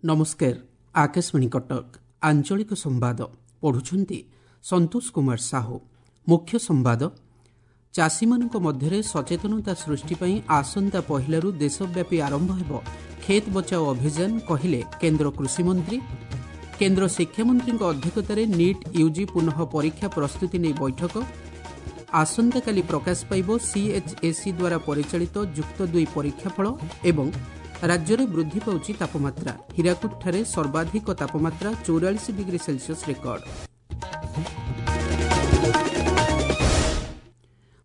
ନମସ୍କାର, ଆକାଶବାଣୀ କଟକ, ଆଞ୍ଚଳିକ ସମ୍ବାଦ ପଢୁଛନ୍ତି ସନ୍ତୋଷ କୁମାର ସାହୁ। ମୁଖ୍ୟ ସମ୍ବାଦ। ଚାଷୀମାନଙ୍କ ମଧ୍ୟରେ ସଚେତନତା ସୃଷ୍ଟି ପାଇଁ ଆସନ୍ତା ପହିଲାରୁ ଦେଶବ୍ୟାପୀ ଆରମ୍ଭ ହେବ ଖେତ ବଚାଓ ଅଭିଯାନ, କହିଲେ କେନ୍ଦ୍ର କୃଷିମନ୍ତ୍ରୀ। କେନ୍ଦ୍ର ଶିକ୍ଷାମନ୍ତ୍ରୀଙ୍କ ଅଧ୍ୟକ୍ଷତାରେ ନିଟ୍ ୟୁଜି ପୁନଃ ପରୀକ୍ଷା ପ୍ରସ୍ତୁତି ନେଇ ବୈଠକ। ଆସନ୍ତାକାଲି ପ୍ରକାଶ ପାଇବ ସିଏଚ୍ଏସ୍ଇ ଦ୍ୱାରା ପରିଚାଳିତ ଯୁକ୍ତ ଦୁଇ ପରୀକ୍ଷାଫଳ। ଏବଂ ରାଜ୍ୟରେ ବୃଦ୍ଧି ପାଉଛି ତାପମାତ୍ରା, ହୀରାକୁଦଠାରେ ସର୍ବାଧିକ ତାପମାତ୍ରା 44 ଡିଗ୍ରୀ ସେଲସିୟସ୍ ରେକର୍ଡ।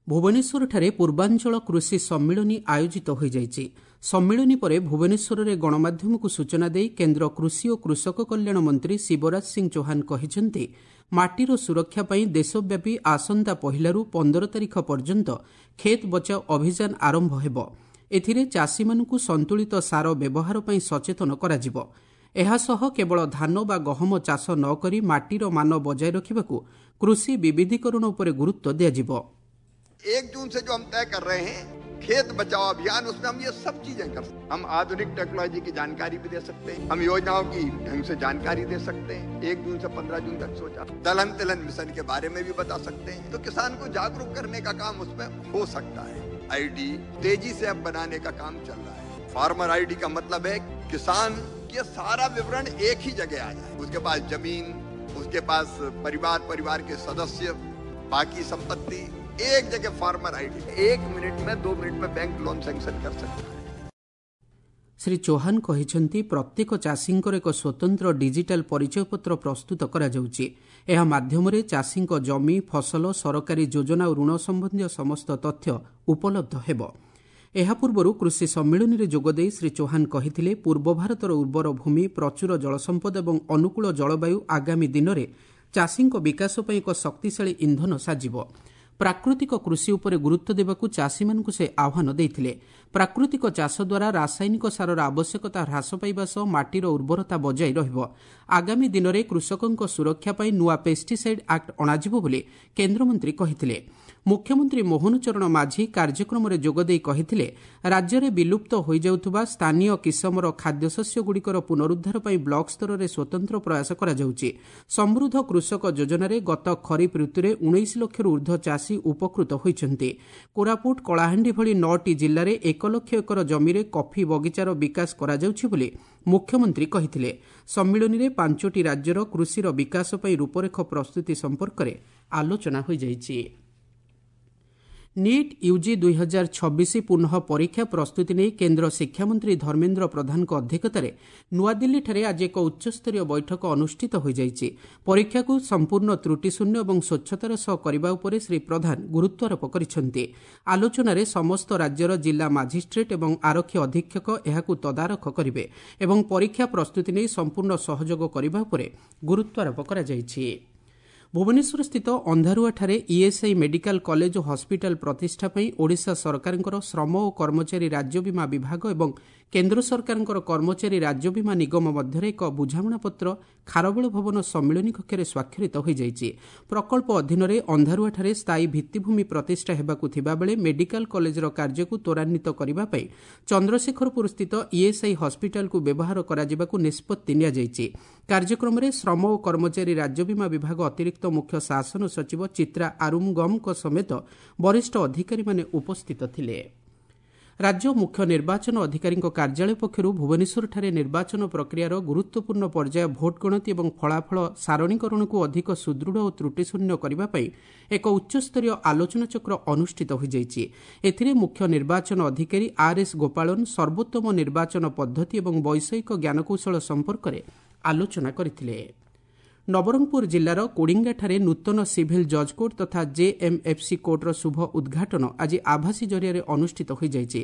ଭୁବନେଶ୍ୱରଠାରେ ପୂର୍ବାଞ୍ଚଳ କୃଷି ସମ୍ମିଳନୀ ଆୟୋଜିତ ହୋଇଯାଇଛି। ସମ୍ମିଳନୀ ପରେ ଭୁବନେଶ୍ୱରରେ ଗଣମାଧ୍ୟମକୁ ସୂଚନା ଦେଇ କେନ୍ଦ୍ର କୃଷି ଓ କୃଷକ କଲ୍ୟାଣ ମନ୍ତ୍ରୀ ଶିବରାଜ ସିଂ ଚୌହାନ କହିଛନ୍ତି, ମାଟିର ସୁରକ୍ଷା ପାଇଁ ଦେଶବ୍ୟାପୀ ଆସନ୍ତା ପହିଲାରୁ 15 ତାରିଖ ପର୍ଯ୍ୟନ୍ତ ଖେତ ବଚାଓ ଅଭିଯାନ ଆରମ୍ଭ ହେବ। ଏଥିରେ ଚାଷୀମାନଙ୍କୁ ସନ୍ତୁଳିତ ସାର ବ୍ୟବହାର ପାଇଁ ସଚେତନ କରାଯିବ। ଏହାସହ କେବଳ ଧାନ ବା ଗହମ ଚାଷ ନ କରି ମାଟିର ମାନ ବଜାୟ ରଖିବାକୁ କୃଷି ବିବିଧୀକରଣ ଉପରେ ଗୁରୁତ୍ୱ ଦିଆଯିବ। 1 जून से जो हम तय कर रहे हैं खेत बचाओ अभियान, उसमें हम ये सब चीजें कर सकते हैं। हम आधुनिक टेक्नोलॉजी की जानकारी भी दे सकते हैं, हम योजनाओं की ढंग से जानकारी दे सकते हैं। 1 जून से 15 जून तक सोचा, दलहन तिलहन मिशन के बारे में भी बता सकते हैं। तो किसान को जागरूक करने का काम उसमें हो सकता है। आईडी तेजी से अब बनाने का काम चल रहा है। फार्मर आईडी का मतलब है किसान के सारा विवरण एक ही जगह आ जाए। उसके पास जमीन, उसके पास परिवार, परिवार के सदस्य, बाकी संपत्ति, एक जगह फार्मर आईडी। 1 मिनट में 2 मिनट में बैंक लोन सैंक्शन कर सकता है। ଶ୍ରୀ ଚୌହାନ କହିଛନ୍ତି, ପ୍ରତ୍ୟେକ ଚାଷୀଙ୍କର ଏକ ସ୍ୱତନ୍ତ୍ର ଡିଜିଟାଲ ପରିଚୟପତ୍ର ପ୍ରସ୍ତୁତ କରାଯାଉଛି। ଏହା ମାଧ୍ୟମରେ ଚାଷୀଙ୍କ ଜମି, ଫସଲ, ସରକାରୀ ଯୋଜନା ଓ ଋଣ ସମ୍ବନ୍ଧୀୟ ସମସ୍ତ ତଥ୍ୟ ଉପଲବ୍ଧ ହେବ। ଏହା ପୂର୍ବରୁ କୃଷି ସମ୍ମିଳନୀରେ ଯୋଗଦେଇ ଶ୍ରୀ ଚୌହାନ କହିଥିଲେ, ପୂର୍ବ ଭାରତର ଉର୍ବର ଭୂମି, ପ୍ରଚୁର ଜଳସମ୍ପଦ ଏବଂ ଅନୁକୂଳ ଜଳବାୟୁ ଆଗାମୀ ଦିନରେ ଚାଷୀଙ୍କ ବିକାଶ ପାଇଁ ଏକ ଶକ୍ତିଶାଳୀ ଇନ୍ଧନ ସାଜିବ। ପ୍ରାକୃତିକ କୃଷି ଉପରେ ଗୁରୁତ୍ୱ ଦେବାକୁ ଚାଷୀମାନଙ୍କୁ ସେ ଆହ୍ୱାନ ଦେଇଥିଲେ। ପ୍ରାକୃତିକ ଚାଷ ଦ୍ୱାରା ରାସାୟନିକ ସାରର ଆବଶ୍ୟକତା ହ୍ରାସ ପାଇବା ସହ ମାଟିର ଉର୍ବରତା ବଜାୟ ରହିବ। ଆଗାମୀ ଦିନରେ କୃଷକଙ୍କ ସୁରକ୍ଷା ପାଇଁ ନୂଆ ପେଷ୍ଟିସାଇଡ୍ ଆକ୍ଟ ଅଣାଯିବ ବୋଲି କେନ୍ଦ୍ରମନ୍ତ୍ରୀ କହିଥିଲେ। ମୁଖ୍ୟମନ୍ତ୍ରୀ ମୋହନ ଚରଣ ମାଝୀ କାର୍ଯ୍ୟକ୍ରମରେ ଯୋଗଦେଇ କହିଥିଲେ, ରାଜ୍ୟରେ ବିଲୁପ୍ତ ହୋଇଯାଉଥିବା ସ୍ଥାନୀୟ କିସମର ଖାଦ୍ୟଶସ୍ୟଗୁଡ଼ିକର ପୁନରୁଦ୍ଧାର ପାଇଁ ବ୍ଲକ ସ୍ତରରେ ସ୍ୱତନ୍ତ୍ର ପ୍ରୟାସ କରାଯାଉଛି। ସମୃଦ୍ଧ କୃଷକ ଯୋଜନାରେ ଗତ ଖରିଫ ଋତୁରେ 19 ଲକ୍ଷରୁ ଊର୍ଦ୍ଧ୍ୱ ଚାଷୀ ଉପକୃତ ହୋଇଛନ୍ତି। କୋରାପୁଟ, କଳାହାଣ୍ଡି ଭଳି 9ଟି ଜିଲ୍ଲାରେ 1 ଲକ୍ଷ ଏକର ଜମିରେ କଫି ବଗିଚାର ବିକାଶ କରାଯାଉଛି ବୋଲି ମୁଖ୍ୟମନ୍ତ୍ରୀ କହିଥିଲେ। ସମ୍ମିଳନୀରେ 5ଟି ରାଜ୍ୟର କୃଷିର ବିକାଶ ପାଇଁ ରୂପରେଖ ପ୍ରସ୍ତୁତି ସମ୍ପର୍କରେ ଆଲୋଚନା ହୋଇଯାଇଛି। ନିଟ୍ ୟୁଜି 2026 ପୁନଃ ପରୀକ୍ଷା ପ୍ରସ୍ତୁତି ନେଇ କେନ୍ଦ୍ର ଶିକ୍ଷାମନ୍ତ୍ରୀ ଧର୍ମେନ୍ଦ୍ର ପ୍ରଧାନଙ୍କ ଅଧ୍ୟକ୍ଷତାରେ ନୂଆଦିଲ୍ଲୀଠାରେ ଆଜି ଏକ ଉଚ୍ଚସ୍ତରୀୟ ବୈଠକ ଅନୁଷ୍ଠିତ ହୋଇଯାଇଛି। ପରୀକ୍ଷାକୁ ସମ୍ପୂର୍ଣ୍ଣ ତ୍ରୁଟିଶୂନ୍ୟ ଏବଂ ସ୍ୱଚ୍ଛତାର ସହ କରିବା ଉପରେ ଶ୍ରୀ ପ୍ରଧାନ ଗୁରୁତ୍ୱାରୋପ କରିଛନ୍ତି। ଆଲୋଚନାରେ ସମସ୍ତ ରାଜ୍ୟର ଜିଲ୍ଲା ମାଜିଷ୍ଟ୍ରେଟ୍ ଏବଂ ଆରକ୍ଷୀ ଅଧୀକ୍ଷକ ଏହାକୁ ତଦାରଖ କରିବେ ଏବଂ ପରୀକ୍ଷା ପ୍ରସ୍ତୁତି ନେଇ ସମ୍ପୂର୍ଣ୍ଣ ସହଯୋଗ କରିବା ଉପରେ ଗୁରୁତ୍ୱାରୋପ କରାଯାଇଛି। ଭୁବନେଶ୍ୱରସ୍ଥିତ ଅନ୍ଧାରୁଆଠାରେ ଇଏସ୍ଆଇ ମେଡିକାଲ କଲେଜ ଓ ହସ୍ପିଟାଲ ପ୍ରତିଷ୍ଠା ପାଇଁ ଓଡ଼ିଶା ସରକାରଙ୍କର ଶ୍ରମ ଓ କର୍ମଚାରୀ ରାଜ୍ୟ ବୀମା ବିଭାଗ ଏବଂ କେନ୍ଦ୍ର ସରକାରଙ୍କର କର୍ମଚାରୀ ରାଜ୍ୟ ବୀମା ନିଗମ ମଧ୍ୟରେ ଏକ ବୁଝାମଣାପତ୍ର ଖାରବେଳ ଭବନ ସମ୍ମିଳନୀ କକ୍ଷରେ ସ୍ୱାକ୍ଷରିତ ହୋଇଯାଇଛି। ପ୍ରକଳ୍ପ ଅଧୀନରେ ଅନ୍ଧାରୁଆଠାରେ ସ୍ଥାୟୀ ଭିତ୍ତିଭୂମି ପ୍ରତିଷ୍ଠା ହେବାକୁ ଥିବାବେଳେ ମେଡିକାଲ କଲେଜର କାର୍ଯ୍ୟକୁ ତ୍ୱରାନ୍ୱିତ କରିବା ପାଇଁ ଚନ୍ଦ୍ରଶେଖରପୁରସ୍ଥିତ ଇଏସ୍ଆଇ ହସ୍ପିଟାଲକୁ ବ୍ୟବହାର କରାଯିବାକୁ ନିଷ୍ପତ୍ତି ନିଆଯାଇଛି। କାର୍ଯ୍ୟକ୍ରମରେ ଶ୍ରମ ଓ କର୍ମଚାରୀ ରାଜ୍ୟ ବୀମା ବିଭାଗ ଅତିରିକ୍ତ ମୁଖ୍ୟ ଶାସନ ସଚିବ ଚିତ୍ରା ଆରୁମଗମଙ୍କ ସମେତ ବରିଷ୍ଠ ଅଧିକାରୀମାନେ ଉପସ୍ଥିତ ଥିଲେ। ରାଜ୍ୟ ମୁଖ୍ୟ ନିର୍ବାଚନ ଅଧିକାରୀଙ୍କ କାର୍ଯ୍ୟାଳୟ ପକ୍ଷରୁ ଭୁବନେଶ୍ୱରଠାରେ ନିର୍ବାଚନ ପ୍ରକ୍ରିୟାର ଗୁରୁତ୍ୱପୂର୍ଣ୍ଣ ପର୍ଯ୍ୟାୟ ଭୋଟ ଗଣତି ଏବଂ ଫଳାଫଳ ସାରଣୀକରଣକୁ ଅଧିକ ସୁଦୃଢ଼ ଓ ତ୍ରୁଟିଶୂନ୍ୟ କରିବା ପାଇଁ ଏକ ଉଚ୍ଚସ୍ତରୀୟ ଆଲୋଚନାଚକ୍ର ଅନୁଷ୍ଠିତ ହୋଇଯାଇଛି। ଏଥିରେ ମୁଖ୍ୟ ନିର୍ବାଚନ ଅଧିକାରୀ ଆର୍ ଏସ୍ ଗୋପାଳନ ସର୍ବୋତ୍ତମ ନିର୍ବାଚନ ପଦ୍ଧତି ଏବଂ ବୈଷୟିକ ଜ୍ଞାନକୌଶଳ ସମ୍ପର୍କରେ ଆଲୋଚନା କରିଥିଲେ। ନବରଙ୍ଗପୁର ଜିଲ୍ଲାର କୋଡ଼ିଙ୍ଗାଠାରେ ନୂତନ ସିଭିଲ୍ ଜଜ୍ କୋର୍ଟ ତଥା ଜେଏମ୍ଏଫ୍ସି କୋର୍ଟର ଶୁଭ ଉଦ୍ଘାଟନ ଆଜି ଆଭାସୀ ଜରିଆରେ ଅନୁଷ୍ଠିତ ହୋଇଯାଇଛି।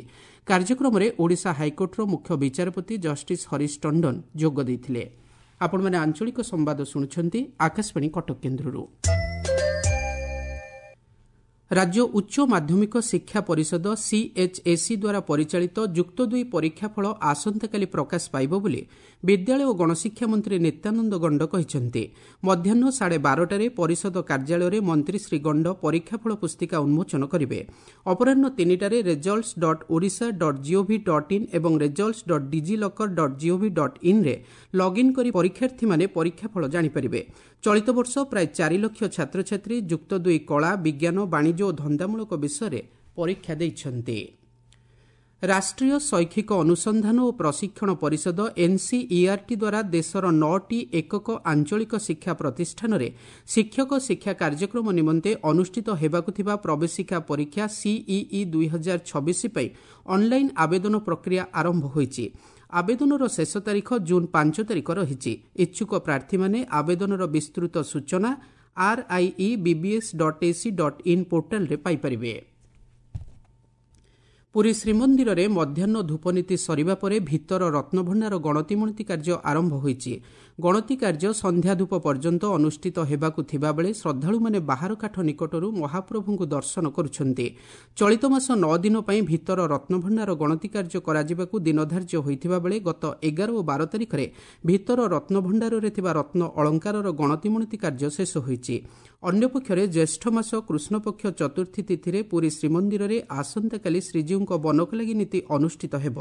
କାର୍ଯ୍ୟକ୍ରମରେ ଓଡ଼ିଶା ହାଇକୋର୍ଟର ମୁଖ୍ୟ ବିଚାରପତି ଜଷ୍ଟିସ୍ ହରିଶ ଟଣ୍ଡନ ଯୋଗ ଦେଇଥିଲେ। ଆପଣମାନେ ଆଞ୍ଚଳିକ ସମ୍ବାଦ ଶୁଣୁଛନ୍ତି ଆକାଶବାଣୀ କଟକ କେନ୍ଦ୍ରରୁ। ରାଜ୍ୟ ଉଚ୍ଚ ମାଧ୍ୟମିକ ଶିକ୍ଷା ପରିଷଦ ସିଏଚ୍ଏସ୍ଇ ଦ୍ୱାରା ପରିଚାଳିତ ଯୁକ୍ତ ଦୁଇ ପରୀକ୍ଷାଫଳ ଆସନ୍ତାକାଲି ପ୍ରକାଶ ପାଇବ ବୋଲି ବିଦ୍ୟାଳୟ ଓ ଗଣଶିକ୍ଷା ମନ୍ତ୍ରୀ ନିତ୍ୟାନନ୍ଦ ଗଣ୍ଡ କହିଛନ୍ତି। ମଧ୍ୟାହ୍ନ 12:30ରେ ପରିଷଦ କାର୍ଯ୍ୟାଳୟରେ ମନ୍ତ୍ରୀ ଶ୍ରୀ ଗଣ୍ଡ ପରୀକ୍ଷାଫଳ ପୁସ୍ତିକା ଉନ୍ମୋଚନ କରିବେ। ଅପରାହ୍ନ 3ଟାରେ results dot Odisha dot gov dot in ଏବଂ results dot DigiLocker dot gov dot ଇନ୍ରେ login କରି ପରୀକ୍ଷାର୍ଥୀମାନେ ପରୀକ୍ଷାଫଳ ଜାଣିପାରିବେ। ଚଳିତ ବର୍ଷ ପ୍ରାୟ 4 ଲକ୍ଷ ଛାତ୍ରଛାତ୍ରୀ ଯୁକ୍ତ ଦୁଇ କଳା, ବିଜ୍ଞାନ, ବାଣିଜ୍ୟ ଓ ଧନ୍ଦାମୂଳକ ବିଷୟରେ ପରୀକ୍ଷା ଦେଇଛନ୍ତି। ରାଷ୍ଟ୍ରୀୟ ଶୈକ୍ଷିକ ଅନୁସନ୍ଧାନ ଓ ପ୍ରଶିକ୍ଷଣ ପରିଷଦ ଏନ୍ସିଇଆର୍ଟି ଦ୍ୱାରା ଦେଶର 9ଟି ଏକକ ଆଞ୍ଚଳିକ ଶିକ୍ଷା ପ୍ରତିଷ୍ଠାନରେ ଶିକ୍ଷକ ଶିକ୍ଷା କାର୍ଯ୍ୟକ୍ରମ ନିମନ୍ତେ ଅନୁଷ୍ଠିତ ହେବାକୁ ଥିବା ପ୍ରବେଶିକା ପରୀକ୍ଷା ସିଇଇ 2026 ପାଇଁ ଅନ୍ଲାଇନ୍ ଆବେଦନ ପ୍ରକ୍ରିୟା ଆରମ୍ଭ ହୋଇଛି। ଆବେଦନର ଶେଷ ତାରିଖ ଜୁନ୍ 5 ତାରିଖ ରହିଛି। ଇଚ୍ଛୁକ ପ୍ରାର୍ଥୀମାନେ ଆବେଦନର ବିସ୍ତୃତ ସୂଚନା RIE BBS dot AC dot in ପୋର୍ଟାଲରେ ପାଇପାରିବେ। ପୁରୀ ଶ୍ରୀମନ୍ଦିରରେ ମଧ୍ୟାହ୍ନ ଧୂପନୀତି ସରିବା ପରେ ଭିତର ରତ୍ନଭଣ୍ଡାର ଗଣତିମଣତି କାର୍ଯ୍ୟ ଆରମ୍ଭ ହୋଇଛି। ଗଣତି କାର୍ଯ୍ୟ ସନ୍ଧ୍ୟା ଧୂପ ପର୍ଯ୍ୟନ୍ତ ଅନୁଷ୍ଠିତ ହେବାକୁ ଥିବାବେଳେ ଶ୍ରଦ୍ଧାଳୁମାନେ ବାହାର କାଠ ନିକଟରୁ ମହାପ୍ରଭୁଙ୍କୁ ଦର୍ଶନ କରୁଛନ୍ତି। ଚଳିତ ମାସ 9 ଦିନ ପାଇଁ ଭିତର ରତ୍ନଭଣ୍ଡାର ଗଣତି କାର୍ଯ୍ୟ କରାଯିବାକୁ ଦିନ ଧାର୍ଯ୍ୟ ହୋଇଥିବା ବେଳେ ଗତ 11 ଓ 12 ତାରିଖରେ ଭିତର ରତ୍ନଭଣ୍ଡାରରେ ଥିବା ରତ୍ନ ଅଳଙ୍କାରର ଗଣତିମଣତି କାର୍ଯ୍ୟ ଶେଷ ହୋଇଛି। ଅନ୍ୟପକ୍ଷରେ ଜ୍ୟେଷ୍ଠ ମାସ କୃଷ୍ଣପକ୍ଷ ଚତୁର୍ଥୀ ତିଥିରେ ପୁରୀ ଶ୍ରୀମନ୍ଦିରରେ ଆସନ୍ତାକାଲି ଶ୍ରୀଜୀଉଙ୍କ ବନକଲାଗି ନୀତି ଅନୁଷ୍ଠିତ ହେବ।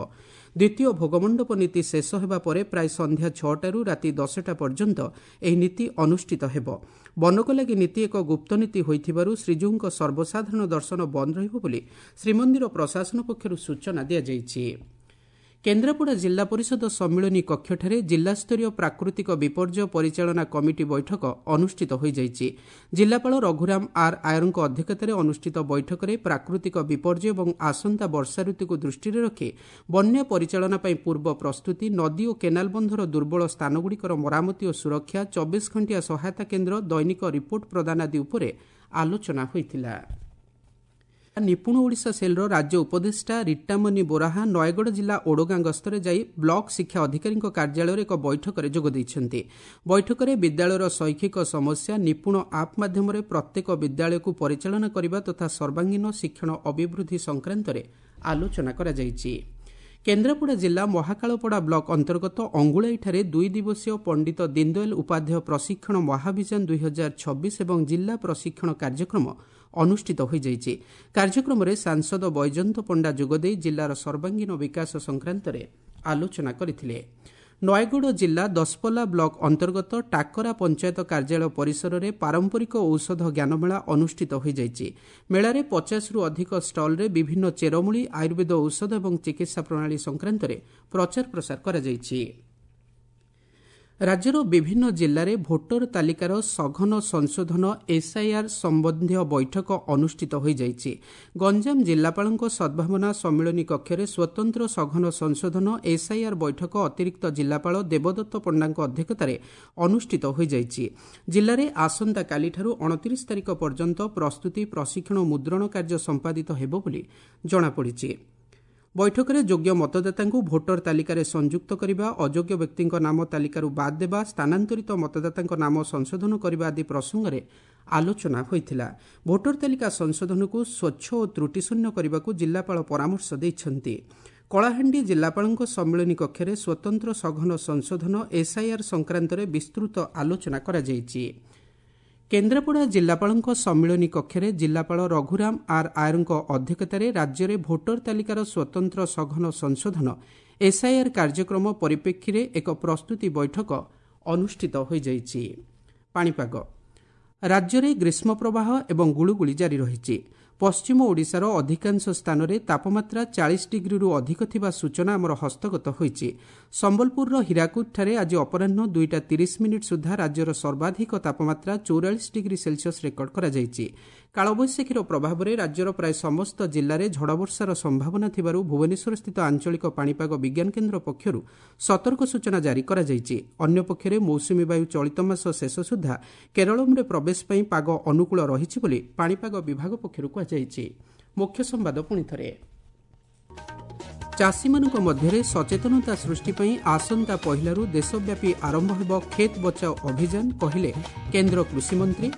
ଦ୍ୱିତୀୟ ଭୋଗମଣ୍ଡପ ନୀତି ଶେଷ ହେବା ପରେ ପ୍ରାୟ ସନ୍ଧ୍ୟା 6ଟାରୁ ରାତି 10ଟା ପର୍ଯ୍ୟନ୍ତ ଏହି ନୀତି ଅନୁଷ୍ଠିତ ହେବ। ବନକଲାଗି ନୀତି ଏକ ଗୁପ୍ତ ନୀତି ହୋଇଥିବାରୁ ଶ୍ରୀଜୀଉଙ୍କ ସର୍ବସାଧାରଣ ଦର୍ଶନ ବନ୍ଦ ରହିବ ବୋଲି ଶ୍ରୀମନ୍ଦିର ପ୍ରଶାସନ ପକ୍ଷରୁ ସୂଚନା ଦିଆଯାଇଛି। କେନ୍ଦ୍ରାପଡ଼ା ଜିଲ୍ଲା ପରିଷଦ ସମ୍ମିଳନୀ କକ୍ଷଠାରେ ଜିଲ୍ଲାସ୍ତରୀୟ ପ୍ରାକୃତିକ ବିପର୍ଯ୍ୟୟ ପରିଚାଳନା କମିଟି ବୈଠକ ଅନୁଷ୍ଠିତ ହୋଇଯାଇଛି। ଜିଲ୍ଲାପାଳ ରଘୁରାମ ଆର୍ ଆୟରଙ୍କ ଅଧ୍ୟକ୍ଷତାରେ ଅନୁଷ୍ଠିତ ବୈଠକରେ ପ୍ରାକୃତିକ ବିପର୍ଯ୍ୟୟ ଏବଂ ଆସନ୍ତା ବର୍ଷା ଋତୁକୁ ଦୃଷ୍ଟିରେ ରଖି ବନ୍ୟା ପରିଚାଳନା ପାଇଁ ପୂର୍ବ ପ୍ରସ୍ତୁତି, ନଦୀ ଓ କେନାଲ ବନ୍ଧର ଦୁର୍ବଳ ସ୍ଥାନଗୁଡ଼ିକର ମରାମତି ଓ ସୁରକ୍ଷା, 24 ଘଣ୍ଟିଆ ସହାୟତା କେନ୍ଦ୍ର, ଦୈନିକ ରିପୋର୍ଟ ପ୍ରଦାନ ଆଦି ଉପରେ ଆଲୋଚନା ହୋଇଥିଲା। ନିପୁଣ ଓଡ଼ିଶା ସେଲ୍ର ରାଜ୍ୟ ଉପଦେଷ୍ଟା ରିଟାମନି ବୋରାହା ନୟାଗଡ଼ ଜିଲ୍ଲା ଓଡ଼ଗାଁ ଗସ୍ତରେ ଯାଇ ବ୍ଲକ ଶିକ୍ଷା ଅଧିକାରୀଙ୍କ କାର୍ଯ୍ୟାଳୟରେ ଏକ ବୈଠକରେ ଯୋଗ ଦେଇଛନ୍ତି। ବୈଠକରେ ବିଦ୍ୟାଳୟର ଶୈକ୍ଷିକ ସମସ୍ୟା, ନିପୁଣ ଆପ୍ ମାଧ୍ୟମରେ ପ୍ରତ୍ୟେକ ବିଦ୍ୟାଳୟକୁ ପରିଚାଳନା କରିବା ତଥା ସର୍ବାଙ୍ଗୀନ ଶିକ୍ଷଣ ଅଭିବୃଦ୍ଧି ସଂକ୍ରାନ୍ତରେ ଆଲୋଚନା କରାଯାଇଛି। କେନ୍ଦ୍ରାପଡ଼ା ଜିଲ୍ଲା ମହାକାଳପଡ଼ା ବ୍ଲକ ଅନ୍ତର୍ଗତ ଅଙ୍ଗୁଳାଇଠାରେ 2 ଦିବସୀୟ ପଣ୍ଡିତ ଦୀନଦୟାଲ ଉପାଧ୍ୟାୟ ପ୍ରଶିକ୍ଷଣ ମହାଭିଯାନ 2026 ଏବଂ ଜିଲ୍ଲା ପ୍ରଶିକ୍ଷଣ କାର୍ଯ୍ୟକ୍ରମ ଅନୁଷ୍ଠିତ ହୋଇଯାଇଛି। କାର୍ଯ୍ୟକ୍ରମରେ ସାଂସଦ ବୈଜୟନ୍ତ ପଣ୍ଡା ଯୋଗଦେଇ ଜିଲ୍ଲାର ସର୍ବାଙ୍ଗୀନ ବିକାଶ ସଂକ୍ରାନ୍ତରେ ଆଲୋଚନା କରିଥିଲେ। ନୟାଗଡ଼ ଜିଲ୍ଲା ଦଶପଲ୍ଲା ବ୍ଲକ ଅନ୍ତର୍ଗତ ଟାକରା ପଞ୍ଚାୟତ କାର୍ଯ୍ୟାଳୟ ପରିସରରେ ପାରମ୍ପରିକ ଔଷଧ ଜ୍ଞାନମେଳା ଅନୁଷ୍ଠିତ ହୋଇଯାଇଛି। ମେଳାରେ 50ରୁ ଅଧିକ ଷ୍ଟଲ୍ରେ ବିଭିନ୍ନ ଚେରମୂଳି, ଆୟୁର୍ବେଦ ଔଷଧ ଏବଂ ଚିକିତ୍ସା ପ୍ରଣାଳୀ ସଂକ୍ରାନ୍ତରେ ପ୍ରଚାର ପ୍ରସାର କରାଯାଇଛି। ରାଜ୍ୟର ବିଭିନ୍ନ ଜିଲ୍ଲାରେ ଭୋଟର ତାଲିକାର ସଘନ ସଂଶୋଧନ ଏସ୍ଆଇଆର୍ ସମ୍ବନ୍ଧୀୟ ବୈଠକ ଅନୁଷ୍ଠିତ ହୋଇଯାଇଛି। ଗଞ୍ଜାମ ଜିଲ୍ଲାପାଳଙ୍କ ସଦ୍ଭାବନା ସମ୍ମିଳନୀ କକ୍ଷରେ ସ୍ୱତନ୍ତ୍ର ସଘନ ସଂଶୋଧନ ଏସ୍ଆଇଆର୍ ବୈଠକ ଅତିରିକ୍ତ ଜିଲ୍ଲାପାଳ ଦେବଦତ୍ତ ପଣ୍ଡାଙ୍କ ଅଧ୍ୟକ୍ଷତାରେ ଅନୁଷ୍ଠିତ ହୋଇଯାଇଛି। ଜିଲ୍ଲାରେ ଆସନ୍ତାକାଲିଠାରୁ 29 ତାରିଖ ପର୍ଯ୍ୟନ୍ତ ପ୍ରସ୍ତୁତି, ପ୍ରଶିକ୍ଷଣ ଓ ମୁଦ୍ରଣ କାର୍ଯ୍ୟ ସମ୍ପାଦିତ ହେବ ବୋଲି ଜଣାପଡ଼ିଛି। ବୈଠକରେ ଯୋଗ୍ୟ ମତଦାତାଙ୍କୁ ଭୋଟର ତାଲିକାରେ ସଂଯୁକ୍ତ କରିବା, ଅଯୋଗ୍ୟ ବ୍ୟକ୍ତିଙ୍କ ନାମ ତାଲିକାରୁ ବାଦ୍ ଦେବା, ସ୍ଥାନାନ୍ତରିତ ମତଦାତାଙ୍କ ନାମ ସଂଶୋଧନ କରିବା ଆଦି ପ୍ରସଙ୍ଗରେ ଆଲୋଚନା ହୋଇଥିଲା। ଭୋଟର ତାଲିକା ସଂଶୋଧନକୁ ସ୍ୱଚ୍ଛ ଓ ତ୍ରୁଟିଶୂନ୍ୟ କରିବାକୁ ଜିଲ୍ଲାପାଳ ପରାମର୍ଶ ଦେଇଛନ୍ତି। କଳାହାଣ୍ଡି ଜିଲ୍ଲାପାଳଙ୍କ ସମ୍ମିଳନୀ କକ୍ଷରେ ସ୍ୱତନ୍ତ୍ର ସଘନ ସଂଶୋଧନ ଏସ୍ଆଇଆର୍ ସଂକ୍ରାନ୍ତରେ ବିସ୍ତୃତ ଆଲୋଚନା କରାଯାଇଛି। କେନ୍ଦ୍ରାପଡ଼ା ଜିଲ୍ଲାପାଳଙ୍କ ସମ୍ମିଳନୀ କକ୍ଷରେ ଜିଲ୍ଲାପାଳ ରଘୁରାମ ଆର୍ ଆୟରଙ୍କ ଅଧ୍ୟକ୍ଷତାରେ ରାଜ୍ୟରେ ଭୋଟର ତାଲିକାର ସ୍ୱତନ୍ତ୍ର ସଘନ ସଂଶୋଧନ ଏସ୍ଆଇଆର୍ କାର୍ଯ୍ୟକ୍ରମ ପରିପ୍ରେକ୍ଷୀରେ ଏକ ପ୍ରସ୍ତୁତି ବୈଠକ ଅନୁଷ୍ଠିତ ହୋଇଯାଇଛି। ପାଣିପାଗ, ରାଜ୍ୟରେ ଗ୍ରୀଷ୍ମ ପ୍ରବାହ ଏବଂ ଗୁଳୁଗୁଳି ଜାରି ରହିଛି। ପଶ୍ଚିମ ଓଡ଼ିଶାର ଅଧିକାଂଶ ସ୍ଥାନରେ ତାପମାତ୍ରା 40 ଡିଗ୍ରୀରୁ ଅଧିକ ଥିବା ସୂଚନା ଆମର ହସ୍ତଗତ ହୋଇଛି। ସମ୍ବଲପୁରର ହୀରାକୁଦଠାରେ ଆଜି ଅପରାହ୍ନ 2ଟା 30 ମିନିଟ୍ ସୁଦ୍ଧା ରାଜ୍ୟର ସର୍ବାଧିକ ତାପମାତ୍ରା 44 ଡିଗ୍ରୀ ସେଲସିୟସ୍ ରେକର୍ଡ କରାଯାଇଛି। କାଳବୈଶାଖୀର ପ୍ରଭାବରେ ରାଜ୍ୟର ପ୍ରାୟ ସମସ୍ତ ଜିଲ୍ଲାରେ ଝଡ଼ବର୍ଷାର ସମ୍ଭାବନା ଥିବାରୁ ଭୁବନେଶ୍ୱରସ୍ଥିତ ଆଞ୍ଚଳିକ ପାଣିପାଗ ବିଜ୍ଞାନ କେନ୍ଦ୍ର ପକ୍ଷରୁ ସତର୍କ ସୂଚନା ଜାରି କରାଯାଇଛି। ଅନ୍ୟପକ୍ଷରେ ମୌସୁମୀ ବାୟୁ ଚଳିତ ମାସ ଶେଷ ସୁଦ୍ଧା କେରଳମରେ ପ୍ରବେଶ ପାଇଁ ପାଗ ଅନୁକୂଳ ରହିଛି ବୋଲି ପାଣିପାଗ ବିଭାଗ ପକ୍ଷରୁ କୁହାଯାଇଛି। ମୁଖ୍ୟ ସମ୍ବାଦ ପୁଣିଥରେ। ଚାଷୀମାନଙ୍କ ମଧ୍ୟରେ ସଚେତନତା ସୃଷ୍ଟି ପାଇଁ ଆସନ୍ତା ପହିଲାରୁ ଦେଶବ୍ୟାପୀ ଆରମ୍ଭ ହେବ ଖେତ୍ ବଚାଓ ଅଭିଯାନ, କହିଲେ କେନ୍ଦ୍ର କୃଷିମନ୍ତ୍ରୀ।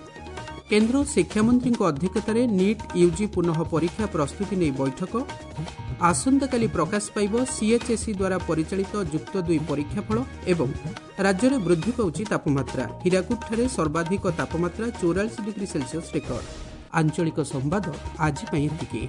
କେନ୍ଦ୍ର ଶିକ୍ଷାମନ୍ତ୍ରୀଙ୍କ ଅଧ୍ୟକ୍ଷତାରେ ନିଟ୍ ୟୁଜି ପୁନଃ ପରୀକ୍ଷା ପ୍ରସ୍ତୁତି ନେଇ ବୈଠକ। ଆସନ୍ତାକାଲି ପ୍ରକାଶ ପାଇବ ସିଏଚ୍ଏସ୍ଇ ଦ୍ୱାରା ପରିଚାଳିତ ଯୁକ୍ତ 2 ପରୀକ୍ଷାଫଳ। ଏବଂ ରାଜ୍ୟରେ ବୃଦ୍ଧି ପାଉଛି ତାପମାତ୍ରା। ହୀରାକୁଦଠାରେ ସର୍ବାଧିକ ତାପମାତ୍ରା 44 ଡିଗ୍ରୀ ସେଲସିୟସ୍ ରେକର୍ଡ। ଆଞ୍ଚଳିକ ସମ୍ବାଦ ଆଜି ପାଇଁ ଏତିକି।